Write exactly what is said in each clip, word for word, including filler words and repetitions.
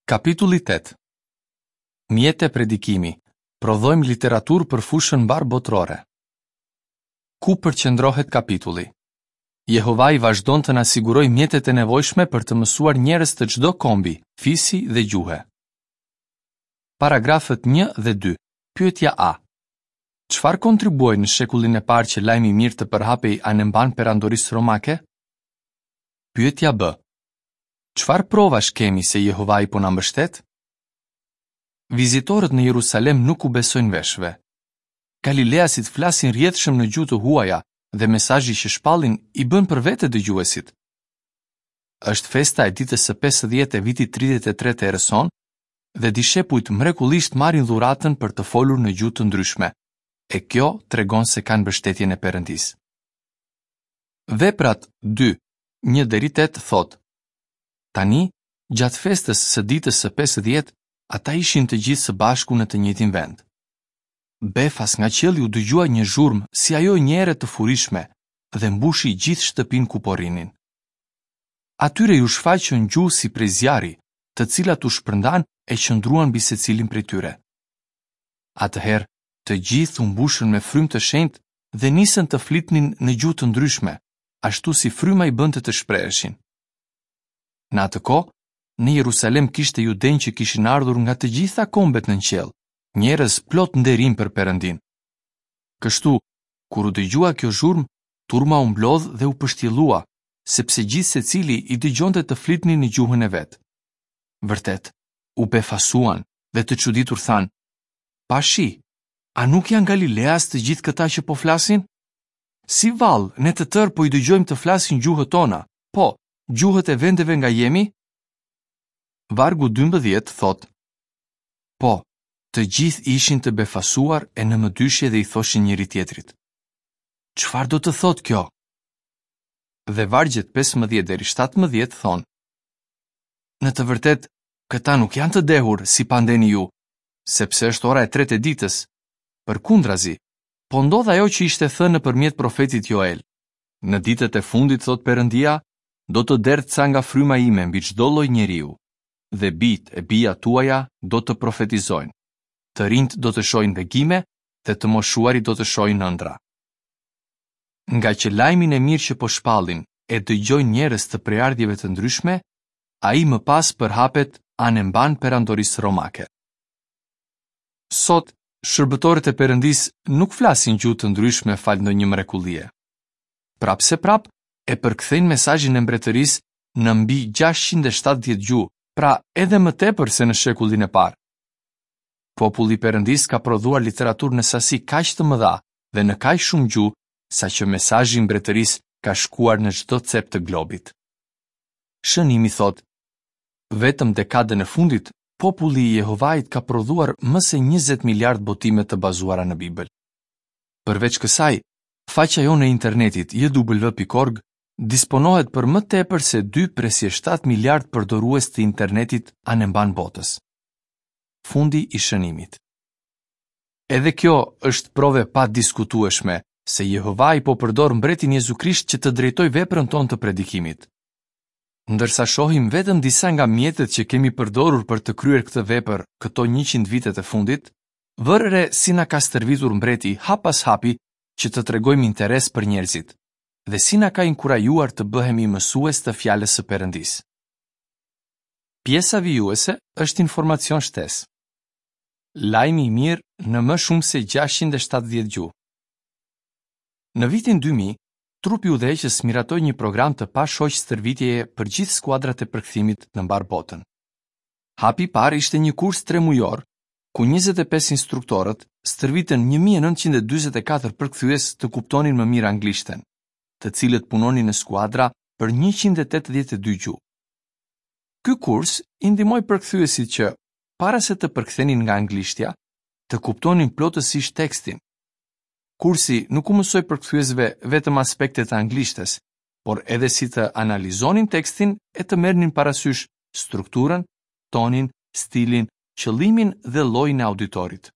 Kapitulli tetë. Mjete predikimi. Prodhojmë literaturë për fushën mbarëbotërore. Ku përqendrohet kapitulli? Jehovai vazhdon të na sigurojë mjetet e nevojshme për të mësuar njerëz të çdo kombi, fisi dhe gjuhe. Paragrafët një dhe dy. Pyetja A. Çfarë kontribuoi në shekullin e parë që lajmi i mirë të përhapej anembanë perandorisë romake? Pyetja B. Çfarë provash kemi se Jehovai po na mbështet? Vizitorët në Jerusalem nuk u besojnë veshëve. Galileasit flasin rrjedhshëm në gjuhë të huaja dhe mesazhi që shpallin i bën për vete dëgjuesit. Është festa e ditës së pesëdhjetë e vitit tridhjetë e tre të erës sonë dhe dishepujt mrekullisht marrin dhuratën për të folur në gjuhë të ndryshme, e kjo tregon se kanë mbështetjen e Perëndisë. Veprat dy, një deri tetë thotë: Tani, gjatë festës së ditës së pesëdhjetë, ata ishin të gjithë së bashku në të njëjtin vend. Befas nga qielli u dëgjua një zhurmë si ajo e një ere të furishme dhe mbushi gjithë shtëpinë ku po rrinin. Atyre ju shfaqën gjuhë si prej zjarri, të cilat u shpërndan e qëndruan mbi secilin prej tyre. Atëherë, të gjithë u mbushën me frymë të shenjtë dhe nisën të flitnin në gjuhë të ndryshme, ashtu si fryma i bënte të shpreheshin. Në atë kohë, në Jerusalem kishte judenj që kishin ardhur nga të gjitha kombet nën qiell, njerëz plot nderim për Perëndin. Kështu, kur u dëgjua kjo zhurmë, turma u mblodh dhe u pështjellua, sepse gjithë secili i dëgjonte të flitnin në gjuhën e vet. Vërtet, u befasuan dhe të çuditur thanë: Pashi, a nuk janë Galileas të gjithë këta që po flasin? Si vallë, ne të tërë po i dëgjojmë të flasin gjuhët tona, po, gjuhët e vendeve nga jemi? Vargu dymbëdhjetë thotë: Po, të gjithë ishin të befasuar e në mëdyshje dhe i thoshin njëri tjetrit: Çfarë do të thotë kjo? Dhe vargjet pesëmbëdhjetë deri shtatëmbëdhjetë thonë: Në të vërtetë, këta nuk janë të dehur si pandeni ju, sepse është ora e tretë e ditës. Përkundrazi, po ndodh ajo që ishte thënë nëpërmjet profetit Joel. Në ditët e fundit, thot Perëndia, do të derdh ca nga fryma ime mbi çdo lloj njeriu, dhe bijt e bijat tuaja do të profetizojnë. Të rinjt do të shohin vegime dhe të moshuarit do të shohin ëndra. Nga që lajmin e mirë që po shpallin e dëgjojnë njerëz të prejardhjeve të ndryshme, ai më pas përhapet anembanë perandorisë romake. Sot, shërbëtorët e Perëndisë nuk flasin gjuhë të ndryshme fal ndonjë mrekullie. Prapse prap, e përkthejnë mesazhin e mbretërisë në mbi gjashtëqind e shtatëdhjetë gjuhë, pra edhe më tepër se në shekullin e parë. Populli i Perëndisë ka prodhuar literaturë në sasi kaq të mëdha dhe në kaq shumë gjuhë, saqë mesazhi i mbretërisë ka shkuar në çdo cep të globit. Shënimi thotë: Vetëm dekadën e fundit, populli i Jehovait ka prodhuar më se njëzet miliard botime të bazuara në Bibël. Përveç kësaj, faqja jonë e internetit J W pikë org disponohet për më tepër se dy presje shtatë miliard përdorues të internetit anembanë botës. Fundi i shënimit. Edhe kjo është provë e padiskutueshme se Jehovai po përdor mbretin Jezu Krisht që të drejtojë veprën tonë të predikimit. Ndërsa shohim vetëm disa nga mjetet që kemi përdorur për të kryer këtë vepër këto njëqind vitet e fundit, vërë re si na ka stërvitur mbreti hap pas hapi që të tregojmë interes për njerëzit dhe si na ka inkurajuar të bëhemi mësues të fjalës së Perëndisë. Pjesa vijuese është informacion shtesë. Lajmi i mirë në më shumë se gjashtëqind e shtatëdhjetë gjuhë. Në vitin dy mijë, trupi udhëheqës miratoi një program të pashoq stërvitjeje për gjithë skuadrat e përkthimit në mbar botën. Hapi i parë ishte një kurs tremujor, ku njëzet e pesë instruktorët stërvitën një mijë e nëntëqind e dyzet e katër përkthyes të kuptonin më mirë anglishten, të cilët punonin në skuadra për njëqind e tetëdhjetë e dy gjuhë. Ky kurs i ndihmoi përkthyesit që, para se të përkthenin nga anglishtja, të kuptonin plotësisht tekstin. Kursi nuk u mësoi përkthyesve vetëm aspektet e anglishtes, por edhe si të analizonin tekstin e të merrnin parasysh strukturën, tonin, stilin, qëllimin dhe llojin e auditorit.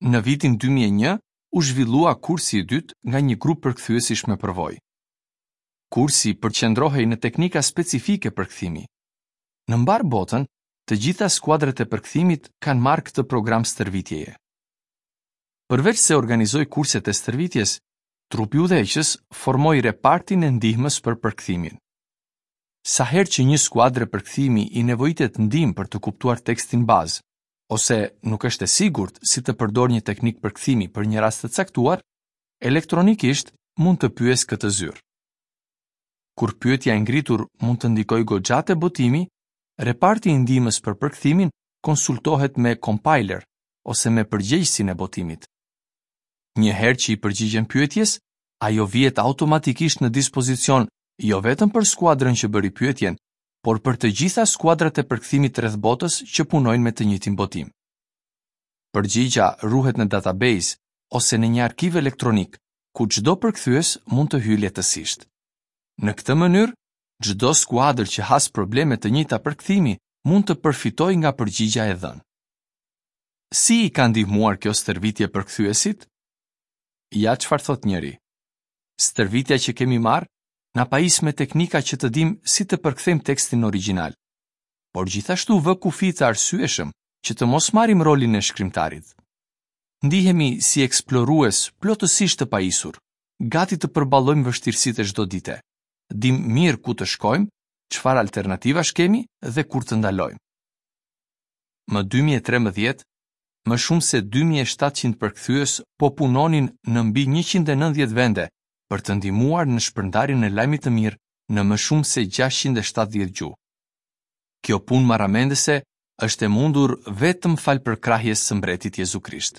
Në vitin dy mijë e një u zhvillua kursi i dytë nga një grup përkthyesish me përvojë. Kursi përqendrohej në teknika specifike përkthimi. Në mbar botën, të gjitha skuadrat e përkthimit kanë marrë këtë program stërvitjeje. Përveç se organizoi kurset e stërvitjes, trupi udhëheqës formoi repartin e ndihmës për përkthimin. Sa herë që një skuadre përkthimi i nevojitet ndihmë për të kuptuar tekstin bazë, ose nuk është e sigurt si të përdorë një teknikë përkthimi për një rast të caktuar, elektronikisht mund të pyesë këtë zyrë. Kur pyetja e ngritur mund të ndikojë goxha te botimi, reparti i ndihmës për përkthimin konsultohet me compiler ose me përgjegjësin e botimit. Një herë që i përgjigjen pyetjes, ajo vihet automatikisht në dispozicion jo vetëm për skuadrën që bëri pyetjen, por për të gjitha skuadrat e përkthimit rreth botës që punojnë me të njëjtin botim. Përgjigja ruhet në database ose në një arkiv elektronik, ku çdo përkthyes mund të hyjë lehtësisht. Në këtë mënyrë, çdo skuadër që has probleme të njëjta përkthimi mund të përfitojë nga përgjigja e dhënë. Si i ka ndihmuar kjo stërvitje përkthyesit? Ja çfarë thotë njëri. Stërvitja që kemi marrë na pajis me teknika që të dim si të përkthejmë tekstin origjinal, por gjithashtu vë kufi të arsyeshëm që të mos marrim rolin e shkrimtarit. Ndihemi si eksplorues plotësisht të pajisur, gati të përballojmë vështirësitë e çdo dite. Dim mirë ku të shkojmë, çfarë alternativash kemi dhe kur të ndalojmë. Më dy mijë e trembëdhjetë, më shumë se dy mijë e shtatëqind përkthyes po punonin në mbi njëqind e nëntëdhjetë vende për të ndihmuar në shpërndarjen e lajmit të mirë në më shumë se gjashtëqind e shtatëdhjetë gjuhë. Kjo punë marramendëse është e mundur vetëm fal përkrahjes së mbretit Jezu Krisht.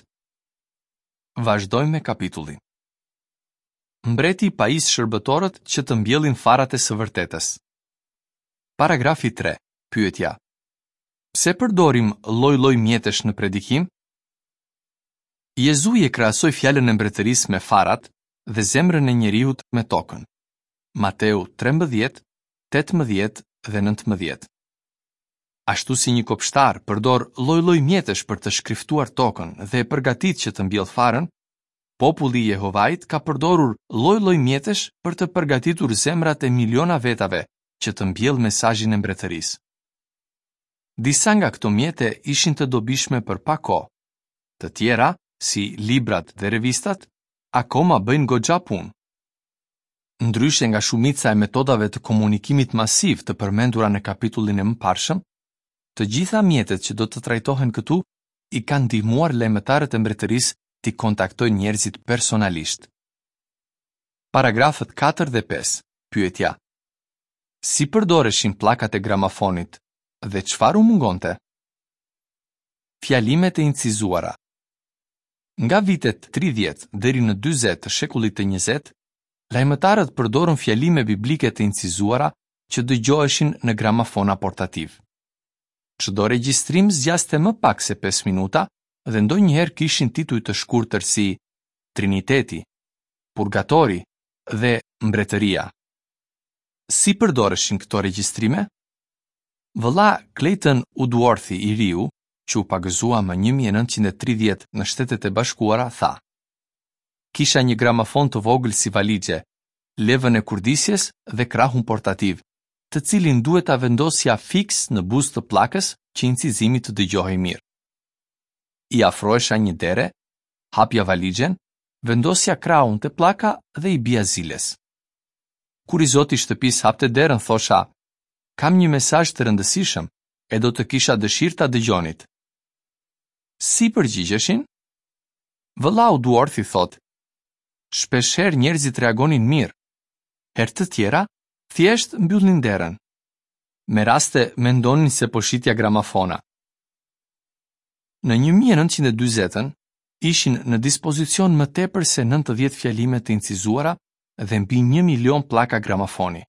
Vazhdojmë me kapitullin. Mbreti pajis shërbëtorët që të mbjellin farat e së vërtetës. Paragrafi tre. Pyetja. Pse përdorim lloj-lloj mjetesh në predikim? Jezui e krahasoi fjalën e mbretërisë me farat dhe zemrën e njeriut me tokën. Mateu trembëdhjetë, tetëmbëdhjetë dhe nëntëmbëdhjetë. Ashtu si një kopshtar përdor lloj-lloj mjetesh për të shkriftuar tokën dhe e përgatit që të mbjell farën, populli i Jehovait ka përdorur lloj-lloj mjetesh për të përgatitur zemrat e miliona vetave që të mbjell mesazhin e mbretërisë. Disa nga këto mjete ishin të dobishme për pak kohë. Të tjera, si librat dhe revistat, akoma bëjnë goxha punë. Ndryshe nga shumica e metodave të komunikimit masiv të përmendura në kapitullin e mëparshëm, të gjitha mjetet që do të trajtohen këtu i kanë ndihmuar lajmëtarët e mbretërisë t'i kontaktojnë njerëzit personalisht. Paragrafët katër dhe pesë. Pyetja. Si përdoreshin pllakat e gramafonit dhe çfarë u mungonte? Fjalimet e incizuara. Nga vitet tridhjetë deri në dyzet të shekullit të njëzet, lajmëtarët përdorën fjalime biblike të incizuara që dëgjoheshin në gramafona portativ. Çdo regjistrim zgjaste më pak se pesë minuta dhe ndonjëherë kishin tituj të shkurtër si Triniteti, Purgatori dhe Mbretëria. Si përdoreshin këto regjistrime? Vëlla Clayton Woodworthi i riu, që u pagëzua më një mijë e nëntëqind e tridhjetë në Shtetet e Bashkuara, tha: Kisha një gramafon të vogël si valixhe, levën e kurdisjes dhe krahun portativ, të cilin duhet ta vendosja fiks në buzë të pllakës që incizimi të dëgjohej mirë. I afrohesha një dere, hapja valixhen, vendosja krahun te pllaka dhe i bia ziles. Kur i zoti i shtëpisë hapte derën, thosha: Kam një mesazh të rëndësishëm e do të kisha dëshirë ta dëgjonit. Si përgjigjeshin? Vëllau Woodworthi thotë: Shpeshherë njerëzit reagonin mirë. Herë të tjera, thjesht mbyllnin derën. Me raste mendonin se po shitja gramafona. Në një mijë e nëntëqind e dyzetën ishin në dispozicion më tepër se nëntëdhjetë fjalime të incizuara dhe mbi një milion pllaka gramafoni.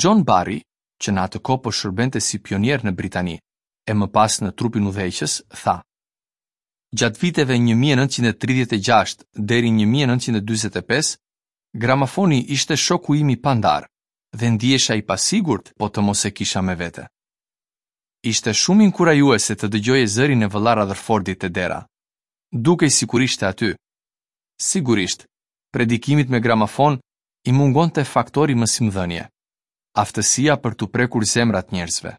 John Barry, që në atë kohë po shërbente si pionier në Britani e më pas në trupin udhëheqës, tha: Gjatë viteve një mijë e nëntëqind e tridhjetë e gjashtë deri një mijë e nëntëqind e dyzet e pesë, gramafoni ishte shoku im i pandar dhe ndihesha i pasigurt po të mos e kisha me vete. Ishte shumë inkurajuese të dëgjoje zërin e vëlla Rutherfordit te dera. Dukej sikur ishte aty. Sigurisht, predikimit me gramafon i mungonte faktori mësimdhënie, aftësia për t'u prekur zemrat njerëzve.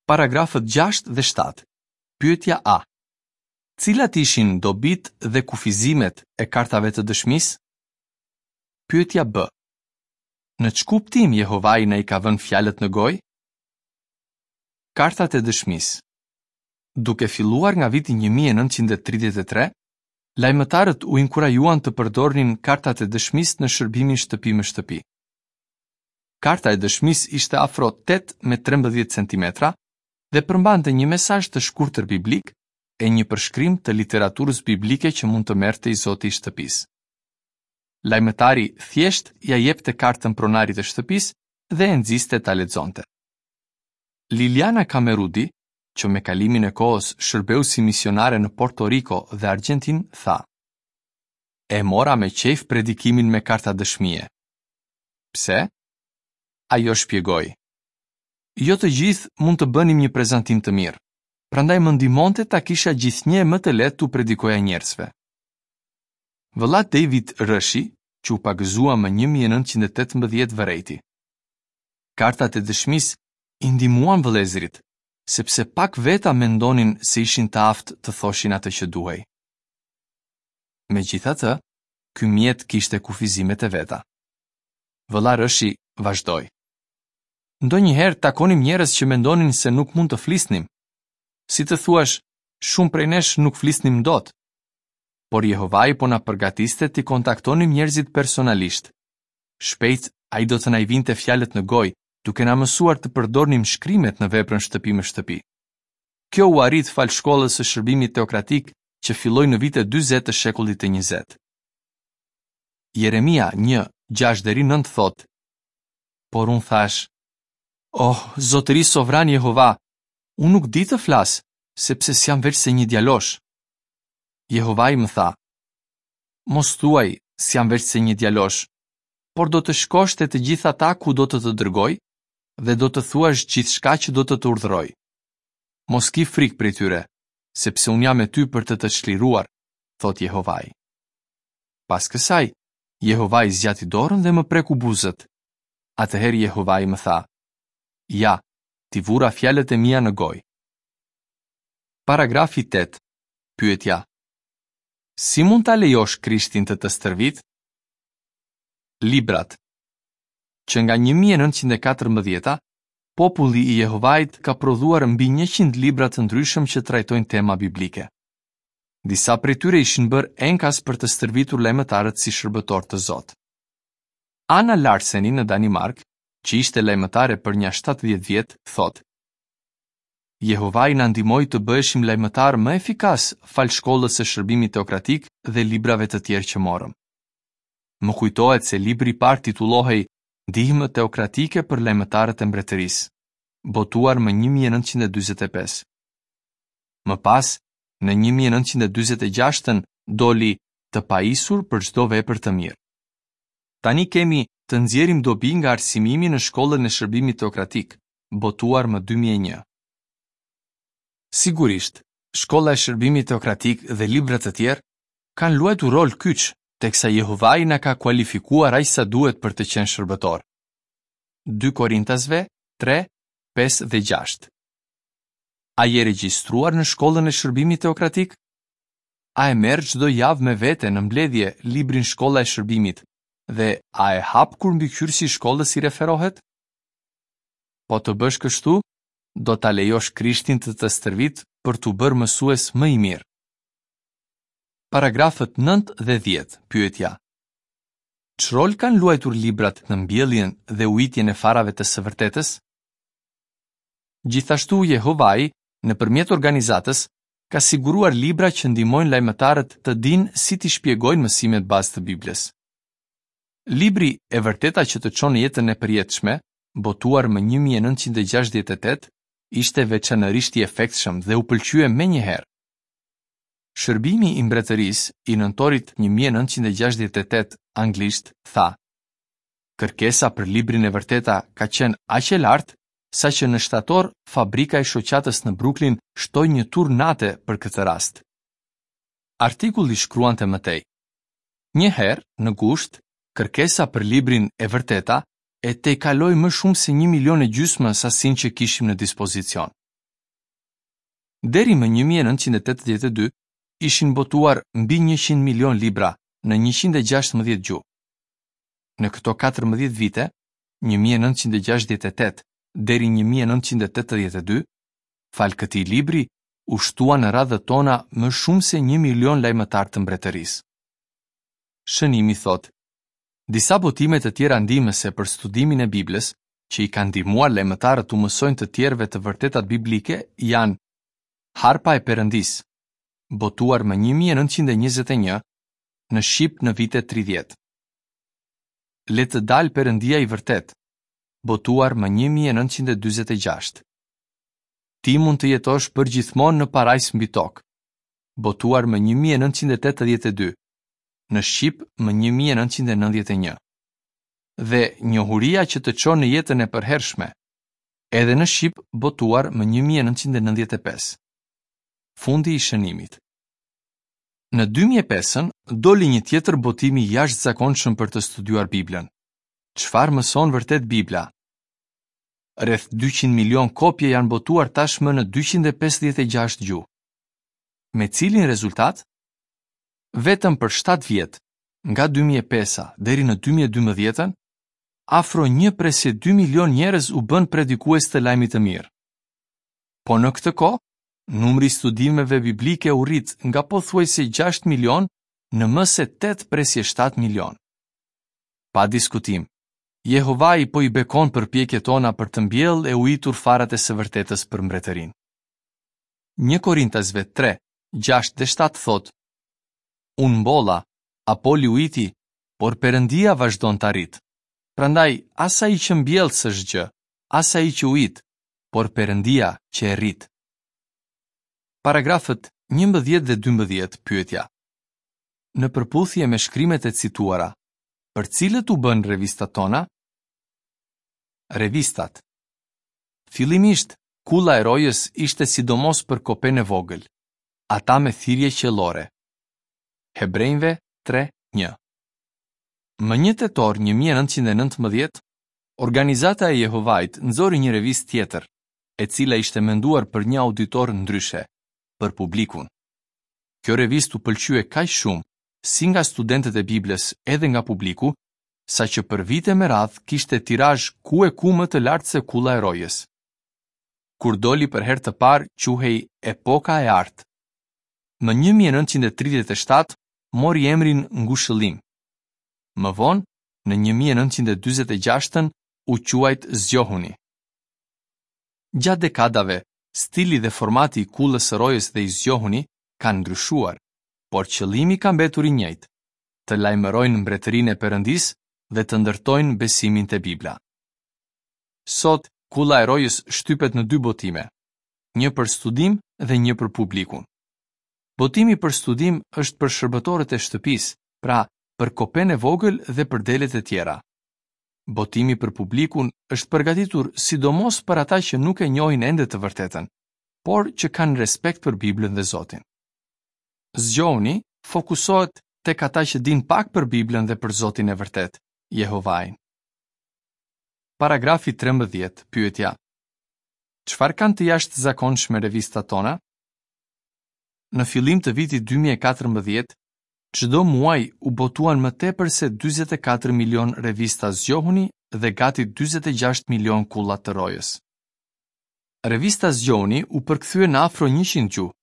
Paragrafët gjashtë dhe shtatë. Pyetja A. Cilat ishin dobitë dhe kufizimet e kartave të dëshmisë? Pyetja B. Në ç'kuptim Jehovai na i ka vënë fjalët në gojë? Kartat e dëshmisë. Duke filluar nga viti një mijë e nëntëqind e tridhjetë e tre, lajmëtarët u inkurajuan të përdornin kartat e dëshmisë në shërbimin shtëpi më shtëpi. Karta e dëshmisë ishte afro tetë me trembëdhjetë centimetra dhe përmbante një mesazh të shkurtër biblik e një përshkrim të literaturës biblike që mund të merrte i zoti i shtëpisë. Lajmëtari thjesht ia jepte kartën pronarit të shtëpisë dhe e nxiste ta lexonte. Liliana Kamerudi, që me kalimin e kohës shërbeu si misionare në Porto Rico dhe Argjentinë, tha: E mora me qejf predikimin me karta dëshmie. Pse? Ajo shpjegoi: Jo të gjithë mund të bënim një prezantim të mirë, prandaj më ndihmonte ta kisha gjithnjë e më të lehtë t'u predikoja njerëzve. Vëlla David Rëshi, që u pagëzua më një mijë e nëntëqind e tetëmbëdhjetë vërejti: Kartat e dëshmisë i ndihmuan vëllezërit, sepse pak veta mendonin se ishin të aftë të thoshin atë që duhej. Megjithatë, ky mjet kishte kufizimet e veta. Vëlla Rëshi vazhdoi: Ndonjëherë takonim njerëz që mendonin se nuk mund të flisnim. Si të thuash, shumë prej nesh nuk flisnim dot. Por Jehovai po na përgatiste t'i kontaktonim njerëzit personalisht. Shpejt ai do të na i vinte fjalët në gojë, duke na mësuar të përdornim shkrimet në veprën shtëpi më shtëpi. Kjo u arrit fal shkollës së shërbimit teokratik që filloi në vitet dyzet të shekullit të njëzet. Jeremia një, gjashtë deri nëntë thotë: Por unë thash: Oh, zotëri sovran Jehova, unë nuk di të flas, sepse s'jam veçse një djalosh. Jehovai më tha: Mos thuaj, s'jam veçse një djalosh, por do të shkosh te të gjithë ata ku do të të dërgoj dhe do të thuash gjithçka që do të të urdhëroj. Mos ki frikë prej tyre, sepse unë jam me ty për të të çliruar, thot Jehovai. Pas kësaj, Jehovai zgjati dorën dhe më preku buzët. Atëherë Jehovai më tha: Ja, ti vura fjalët e mia në gojë. Paragrafi tetë. Pyetja: Si mund ta lejosh Krishtin të të stërvit? Librat. Që nga një mijë e nëntëqind e katërmbëdhjeta, populli i Jehovait ka prodhuar mbi njëqind libra të ndryshëm që trajtojnë tema biblike. Disa prej tyre ishin bërë enkas për të stërvitur lajmëtarët si shërbëtor të Zot. Anna Larseni në Danimark, që ishte lajmëtare për nja shtatëdhjetë vjet, thotë: Jehovai na ndihmoi të bëheshim lajmëtar më efikas fal shkollës së shërbimit teokratik dhe librave të tjerë që morëm. Më kujtohet se libri i parë titullohej Ndihmë teokratike për lajmëtarët e mbretërisë, botuar më një mijë e nëntëqind e dyzet e pesë. Më pas, në një mijë e nëntëqind e dyzet e gjashtën doli Të pajisur për çdo vepër të mirë. Tani kemi Të nxjerrim dobi nga arsimimi në shkollën e shërbimit teokratik, botuar më dy mijë e një. Sigurisht, shkolla e shërbimit teokratik dhe libra të tjerë kanë luajtur rol kyç, teksa Jehovai na ka kualifikuar aq sa duhet për të qenë shërbëtor. Dy Korintasve tre, pesë dhe gjashtë. A je regjistruar në shkollën e shërbimit teokratik? A e merr çdo javë me vete në mbledhje librin Shkolla e Shërbimit dhe a e hap kur mbikëqyrësi i shkollës i referohet? Po të bësh kështu, do ta lejosh Krishtin të të stërvit për t'u bërë mësues më i mirë. Paragrafët nëntë dhe dhjetë, pyetja: Ç'rol kanë luajtur librat në mbjelljen dhe ujitjen e farave të së vërtetës? Gjithashtu Jehovai, nëpërmjet organizatës, ka siguruar libra që ndihmojnë lajmëtarët të dinë si t'i shpjegojnë mësimet bazë të Biblës. Libri E vërteta që të çon në jetën e përjetshme, botuar më një mijë e nëntëqind e gjashtëdhjetë e tetë, ishte veçanërisht i efektshëm dhe u pëlqye menjëherë. Shërbimi i mbretërisë i nëntorit një mijë e nëntëqind e gjashtëdhjetë e tetë anglisht tha: Kërkesa për librin e vërteta ka qenë aq e lartë sa që në shtator fabrika e shoqatës në Brooklyn shtoi një tur nate për këtë rast. Artikulli shkruante më tej: Një herë, në gusht, kërkesa për librin e vërteta e tejkaloi më shumë se një milion e gjysmë sasinë që kishim në dispozicion. Deri më një mijë e nëntëqind e tetëdhjetë e dy ishin botuar mbi njëqind milion libra në njëqind e gjashtëmbëdhjetë gjuhë. Në këto katërmbëdhjetë vite, një mijë e nëntëqind e gjashtëdhjetë e tetë deri një mijë e nëntëqind e tetëdhjetë e dy, falë këtij libri u shtuan në radhët tona më shumë se një milion lajmëtarë të mbretërisë. Shënimi thotë, disa botime të tjera ndihmëse për studimin e Biblës, që i kanë ndihmuar lajmëtarët t'u mësojnë të tjerëve të vërtetat biblike, janë Harpa e Perëndisë, botuar më një mijë e nëntëqind e njëzet e një, në shqip në vitet tridhjetë. Le të dalë Perëndia i vërtetë, botuar më një mijë e nëntëqind e dyzet e gjashtë. Ti mund të jetosh përgjithmonë në parajsë mbi tokë, botuar më një mijë e nëntëqind e tetëdhjetë e dy, në shqip më një mijë e nëntëqind e nëntëdhjetë e një. Dhe Njohuria që të çon në jetën e përhershme, edhe në shqip botuar më një mijë e nëntëqind e nëntëdhjetë e pesë. Fundi i shënimit. Në dy mijë e pesën doli një tjetër botim i jashtëzakonshëm për të studiuar Biblën. Çfarë mëson vërtet Bibla? Rreth dyqind milion kopje janë botuar tashmë në dyqind e pesëdhjetë e gjashtë gjuhë. Me cilin rezultat? Vetëm për shtatë vjet, nga dy mijë e pesa deri në dy mijë e dymbëdhjetën, afro një presje dy milion njerëz u bën predikues të lajmit të mirë. Po në këtë kohë, numri i studimeve biblike u rrit nga pothuajse gjashtë milion në më se tetë presje shtatë milion. Pa diskutim, Jehovai po i bekon përpjekjet tona për të mbjellë e ujitur farat e së vërtetës për mbretërinë. Një Korintasve tre, gjashtë dhe shtatë thotë: Unë mbolla, Apoli ujiti, por Perëndia vazhdon ta rrit. Prandaj, as ai që mbjell s'është gjë, as ai që ujit, por Perëndia që e rrit. Paragrafët njëmbëdhjetë dhe dymbëdhjetë, pyetja. Në përputhje me shkrimet e cituara, për cilët u bën revistat tona? Revistat. Fillimisht, Kulla e Rojës ishte sidomos për kopenë e vogël, ata me thirrje qiellore. Hebrejve tre një. Më një tetor një mijë e nëntëqind e nëntëmbëdhjetë, organizata e Jehovait nxori një revistë tjetër, e cila ishte menduar për një auditor ndryshe, për publikun. Kjo revistë u pëlqye kaq shumë, si nga studentët e Biblës edhe nga publiku, sa që për vite me radhë kishte tirazh ku e ku më të lartë se Kulla e Rojës. Kur doli për herë të parë, quhej Epoka e Artë. Më një mijë e nëntëqind e tridhjetë e shtatë mori emrin Ngushëllim. Më vonë, në një mijë e nëntëqind e dyzet e gjashtën, u quajt Zgjohuni. Gjatë dekadave, stili dhe formati i Kullës së Rojës dhe i Zgjohuni kanë ndryshuar, por qëllimi ka mbetur i njëjtë: të lajmërojnë mbretërinë e Perëndisë dhe të ndërtojnë besimin te Bibla. Sot, Kulla e Rojës shtypet në dy botime, një për studim dhe një për publikun. Botimi për studim është për shërbëtorët e shtëpisë, pra për kopenë e vogël dhe për delet e tjera. Botimi për publikun është përgatitur sidomos për ata që nuk e njohin ende të vërtetën, por që kanë respekt për Biblën dhe Zotin. Zgjohuni fokusohet tek ata që dinë pak për Biblën dhe për Zotin e vërtetë, Jehovain. Paragrafi trembëdhjetë, pyetja: Çfarë kanë të jashtëzakonshme revistat tona? Në fillim të vitit dy mijë e katërmbëdhjetë, çdo muaj u botuan më tepër se dyzet e katër milion revista Zgjohuni dhe gati dyzet e gjashtë milion kulla të rojës. Revista Zgjohuni u përkthye në afro njëqind gjuhë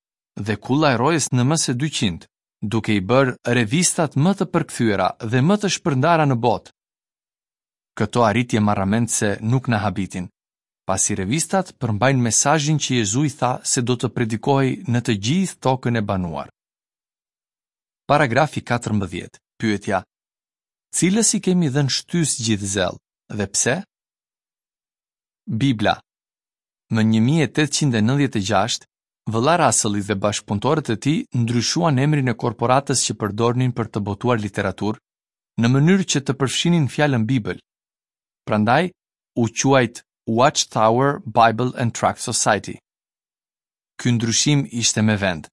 dhe kulla e rojës në më se dyqind, duke i bërë revistat më të përkthyera dhe më të shpërndara në botë. Këto arritje marramendëse nuk na habitin, pasi revistat përmbajnë mesazhin që Jezui tha se do të predikohej në të gjithë tokën e banuar. Paragrafi katërmbëdhjetë, pyetja: Cilës i kemi dhënë shtys gjithë zell dhe pse? Bibla. Më një mijë e tetëqind e nëntëdhjetë e gjashtë, vëlla Russelli dhe bashkëpunëtorët e tij ndryshuan emrin e korporatës që përdornin për të botuar literaturë, në mënyrë që të përfshinin fjalën Bibël. Prandaj u quajt Watchtower Bible and Tract Society. Ky ndryshim ishte me vend,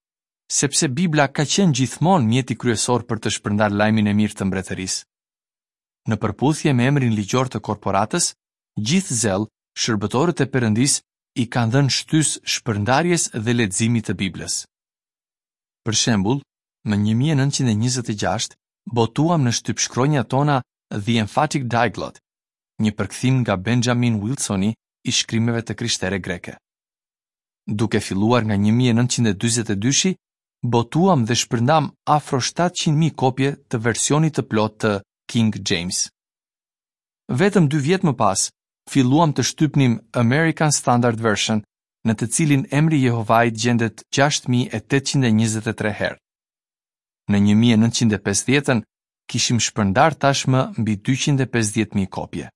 sepse Bibla ka qenë gjithmonë mjeti kryesor për të shpërndarë lajmin e mirë të mbretërisë. Në përputhje me emrin ligjor të korporatës, gjithë zell, shërbëtorët e Perëndisë i kanë dhënë shtysë shpërndarjes dhe leximit të Biblës. Për shembull, më një mijë e nëntëqind e njëzet e gjashtë botuam në shtypshkronjat tona The Emphatic Diaglott, një përkthim nga Benjamin Wilsoni i shkrimeve të krishtere greke. Duke filluar nga një mijë e nëntëqind e dyzet e dyshi, botuam dhe shpërndam afro shtatëqind mijë kopje të versionit të plotë të King James. Vetëm dy vjet më pas, filluam të shtypnim American Standard Version, në të cilin emri i Jehovait gjendet gjashtë mijë e tetëqind e njëzet e tre herë. Në një mijë e nëntëqind e pesëdhjetën kishim shpërndar tashmë mbi dyqind e pesëdhjetë mijë kopje.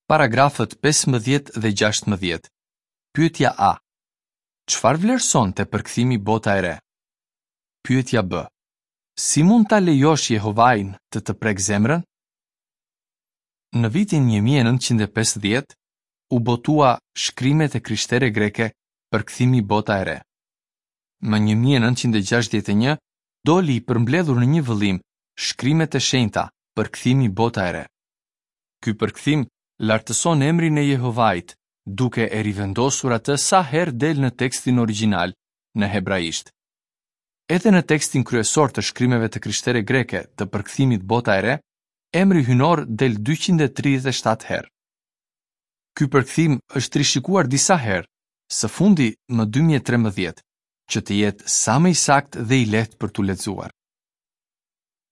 Paragrafët pesëmbëdhjetë dhe gjashtëmbëdhjetë. Pyetja A. Çfarë vlerëson te përkthimi Bota e Re? Pyetja B. Si mund ta lejosh Jehovain të të prek zemrën? Në vitin një mijë e nëntëqind e pesëdhjetë u botua Shkrimet e Krishtere Greke, përkthimi Bota e Re. Më një mijë e nëntëqind e gjashtëdhjetë e një doli i përmbledhur në një vëllim Shkrimet e Shenjta, përkthimi Bota e Re. Ky përkthim lartëson emrin e Jehovait, duke e rivendosur atë sa herë del në tekstin origjinal në hebraisht. Edhe në tekstin kryesor të shkrimeve të krishtere greke të përkthimit Bota e Re, emri hynor del dyqind e tridhjetë e shtatë herë. Ky përkthim është rishikuar disa herë, së fundi më dy mijë e trembëdhjetë, që të jetë sa më i saktë dhe i lehtë për t'u lexuar.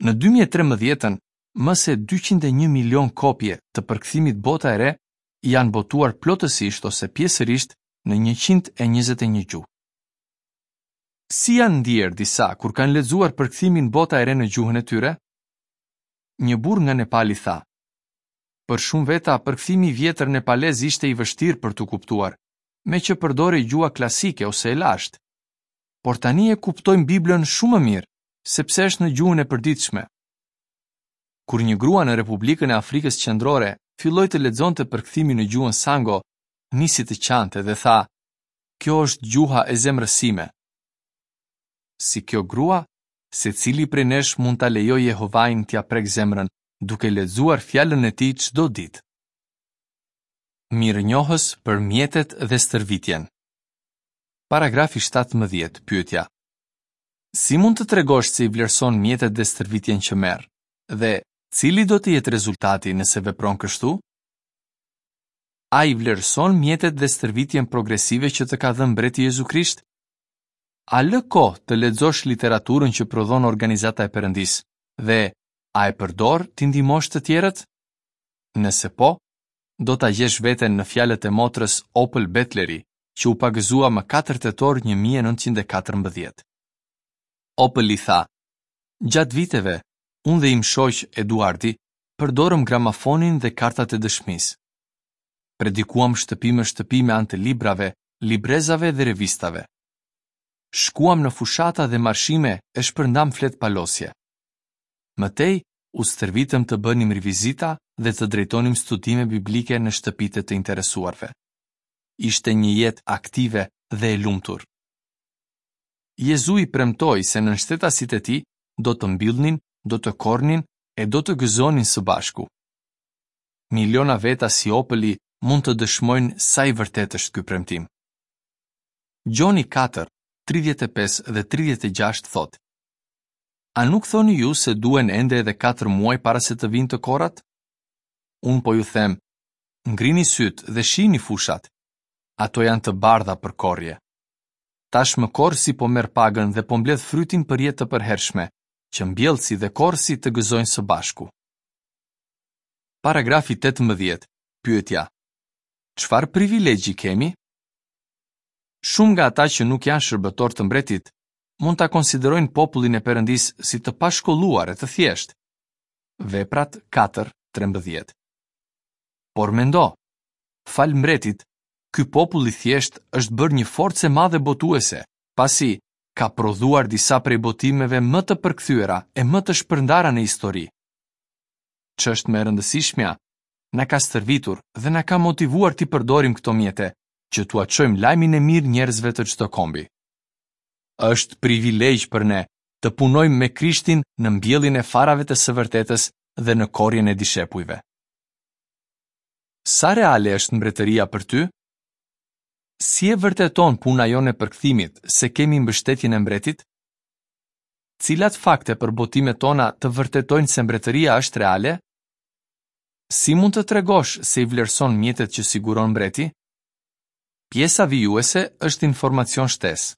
Në dy mijë e trembëdhjetën, më se dyqind e një milion kopje të përkthimit Bota e Re janë botuar plotësisht ose pjesërisht në njëqind e njëzet e një gjuhë. Si janë ndier disa kur kanë lexuar përkthimin Bota e Re në gjuhën e tyre? Një burrë nga Nepali tha: Për shumë veta, përkthimi i vjetër nepalez ishte i vështirë për t'u kuptuar, me që përdorej gjuha klasike ose e lashtë. Por tani e kuptojmë Biblën shumë më mirë, sepse është në gjuhën e përditshme. Kur një grua në Republikën e Afrikës Qendrore filloi të lexonte përkthimin në gjuhën Sango, nisi të qante dhe tha: Kjo është gjuha e zemrës sime. Si kjo grua, secili prej nesh mund ta lejojë Jehovain t'ia prek zemrën, duke lexuar fjalën e tij çdo ditë. Mirënjohës për mjetet dhe stërvitjen. Paragrafi shtatëmbëdhjetë, pyetja: Si mund të tregosh se i vlerëson mjetet dhe stërvitjen që merr? Dhe cili do të jetë rezultati nëse vepron kështu? A i vlerëson mjetet dhe stërvitjen progresive që të ka dhënë mbreti Jezu Krisht? A lë kohë të lexosh literaturën që prodhon organizata e Perëndisë dhe a e përdor t'i ndihmosh të tjerët? Nëse po, do ta gjesh veten në fjalët e motrës Opal Betleri, që u pagëzua më katër tetor një mijë e nëntëqind e katërmbëdhjetë. Opal i tha: Gjatë viteve, unë dhe im shoq Eduardi përdorëm gramafonin dhe kartat e dëshmisë. Predikuam shtëpi më shtëpi me anë të librave, librezave dhe revistave. Shkuam në fushata dhe marshime e shpërndam flet palosje. Më tej, u stërvitëm të bënim rivizita dhe të drejtonim studime biblike në shtëpitë e të interesuarve. Ishte një jetë aktive dhe e lumtur. Jezui premtoi se nënshtetasit e tij do të mbillnin, do të korrnin e do të gëzonin së bashku. Miliona veta si Opeli mund të dëshmojnë sa i vërtetë është ky premtim. Gjoni katër, tridhjetë e pesë dhe tridhjetë e gjashtë thotë: A nuk thoni ju se duhen ende edhe katër muaj para se të vinë të korrat? Unë po ju them, ngrini syt dhe shihni fushat. Ato janë të bardha për korrje. Tashmë korrësi po merr pagën dhe po mbledh frytin për jetë të përhershme, që mbjellësi dhe korrësi të gëzojnë së bashku. Paragrafi tetëmbëdhjetë. Pyetja: Çfarë privilegji kemi? Shumë nga ata që nuk janë shërbëtor të mbretit mund ta konsiderojnë popullin e Perëndisë si të pashkolluar e të thjeshtë. Veprat katër, trembëdhjetë. Por mendo, fal mbretit, ky popull i thjeshtë është bërë një forcë e madhe botuese, pasi ka prodhuar disa prej botimeve më të përkthyera e më të shpërndara në histori. Ç'është më e rëndësishmja, na ka stërvitur dhe na ka motivuar t'i përdorim këto mjete, që t'ua çojmë lajmin e mirë njerëzve të çdo kombi. Është privilegj për ne të punojmë me Krishtin në mbjelljen e farave të së vërtetës dhe në korrjen e dishepujve. Sa reale është mbretëria për ty? Si e vërteton puna jonë e përkthimit se kemi mbështetjen e mbretit? Cilat fakte për botimet tona të vërtetojnë se mbretëria është reale? Si mund të tregosh se i vlerëson mjetet që siguron mbreti? Pjesa vijuese është informacion shtesë.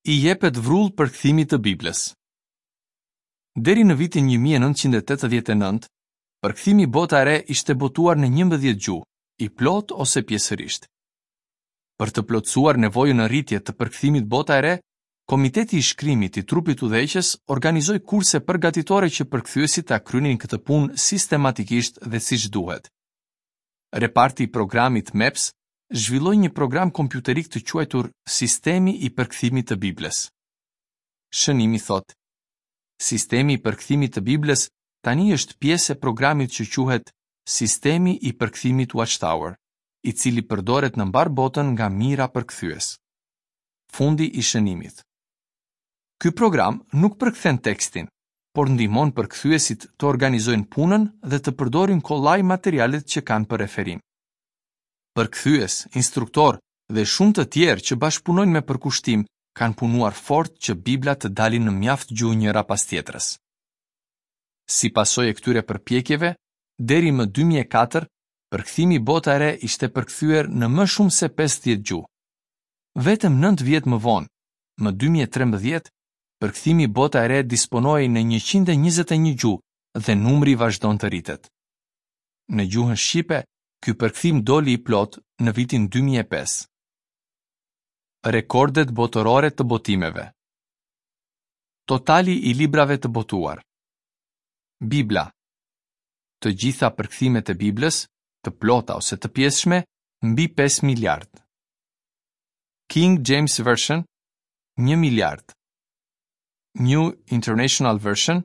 I jepet vrull përkthimit të Biblës. Deri në vitin një mijë e nëntëqind e tetëdhjetë e nëntë, përkthimi Bota e Re ishte botuar në njëmbëdhjetë gjuhë, i plotë ose pjesërisht. Për të plotësuar nevojën në rritje të përkthimit Bota e Re, Komiteti i Shkrimit i Trupit Udhëheqës organizoi kurse përgatitore që përkthyesit ta kryenin këtë punë sistematikisht dhe siç duhet. Reparti i programit MEPS zhvilloi një program kompjuterik të quajtur Sistemi i Përkthimit të Biblës. Shënimi thotë: Sistemi i përkthimit të Biblës tani është pjesë e programit që quhet Sistemi i Përkthimit Watchtower, i cili përdoret në mbarë botën nga mijëra përkthyes. Fundi i shënimit. Ky program nuk përkthen tekstin, por ndihmon përkthyesit të organizojnë punën dhe të përdorin kollaj materialet që kanë për referim. Përkthyes, instruktor dhe shumë të tjerë që bashkëpunojnë me përkushtim kanë punuar fort që Bibla të dalin në mjaft gjuhë njëra pas tjetrës. Si pasojë e këtyre përpjekjeve, deri më dy mijë e katër, përkthimi Bota e Re ishte përkthyer në më shumë se pesëdhjetë gjuhë. Vetëm nëntë vjet më vonë, më dy mijë e trembëdhjetë, përkthimi Bota e Re disponohej në njëqind e njëzet e një gjuhë dhe numri vazhdon të rritet. Në gjuhën shqipe, ky përkthim doli i plot në vitin dy mijë e pesë. Rekordet botërore të botimeve. Totali i librave të botuar. Bibla. Të gjitha përkthimet e Biblës, të plota ose të pjesshme, mbi pesë miliard. King James Version, një miliard. New International Version,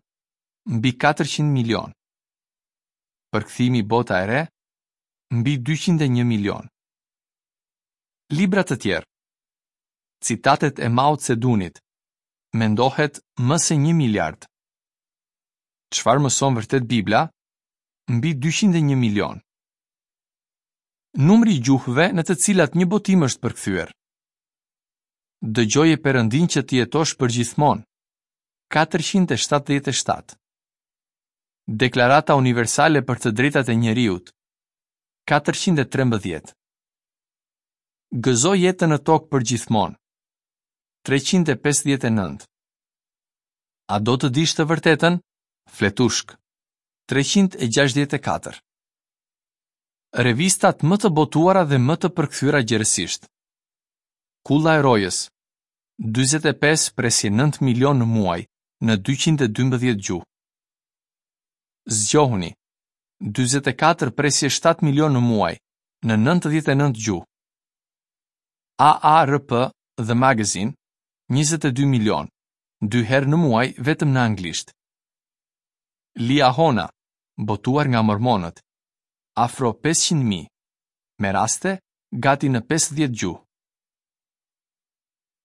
mbi katërqind milion. Përkthimi Bota e Re, mbi dyqind e një milion. Libra të tjerë. Citatet e Mao Zedonit, mendohet më se një miliard. Çfarë mëson vërtet Bibla? Mbi dyqind e një milion. Numri i gjuhëve në të cilat një botim është përkthyer. Dëgjoje Perëndin që të jetosh përgjithmonë. katërqind e shtatëdhjetë e shtatë. Deklarata Universale për të Drejtat e Njeriut. katërqind e trembëdhjetë. Gëzo jetën në tokë përgjithmonë. treqind e pesëdhjetë e nëntë. A do të dish të vërtetën? Fletushk. treqind e gjashtëdhjetë e katër. Revistat më të botuara dhe më të përkthyera gjerësisht. Kulla e Rojës, dyzet e pesë presje nëntë milion në muaj, në dyqind e dymbëdhjetë gjuhë. Zgjohuni, dyzet e katër presje shtatë milion në muaj, në nëntëdhjetë e nëntë gjuhë. A A R P The Magazine, njëzet e dy milion, dy herë në muaj vetëm në anglisht. Liahona, botuar nga mormonët, afro pesëqind mijë, me raste gati në pesëdhjetë gjuhë.